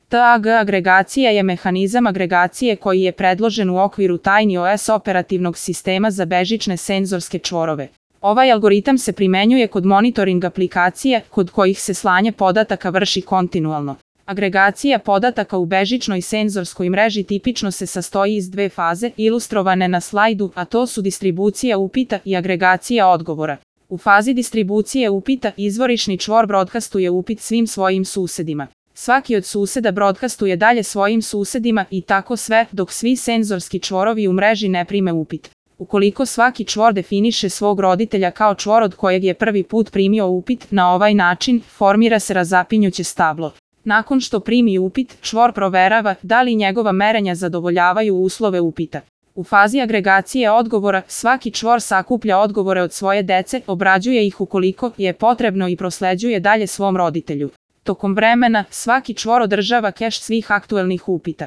TAG agregacija je mehanizam agregacije koji je predložen u okviru TinyOS operativnog sistema za bežične senzorske čvorove. Ovaj algoritam se primenjuje kod monitoring aplikacija kod kojih se slanje podataka vrši kontinualno. Agregacija podataka u bežičnoj senzorskoj mreži tipično se sastoji iz dve faze, ilustrovane na slajdu, a to su distribucija upita i agregacija odgovora. U fazi distribucije upita izvorišni čvor broadcastuje upit svim svojim susedima. Svaki od suseda broadcastuje dalje svojim susedima i tako sve dok svi senzorski čvorovi u mreži ne prime upit. Ukoliko svaki čvor definiše svog roditelja kao čvor od kojeg je prvi put primio upit, na ovaj način formira se razapinjuće stablo. Nakon što primi upit, čvor proverava da li njegova merenja zadovoljavaju uslove upita. U fazi agregacije odgovora, svaki čvor sakuplja odgovore od svoje dece, obrađuje ih ukoliko je potrebno i prosleđuje dalje svom roditelju. Tokom vremena, svaki čvor održava keš svih aktuelnih upita.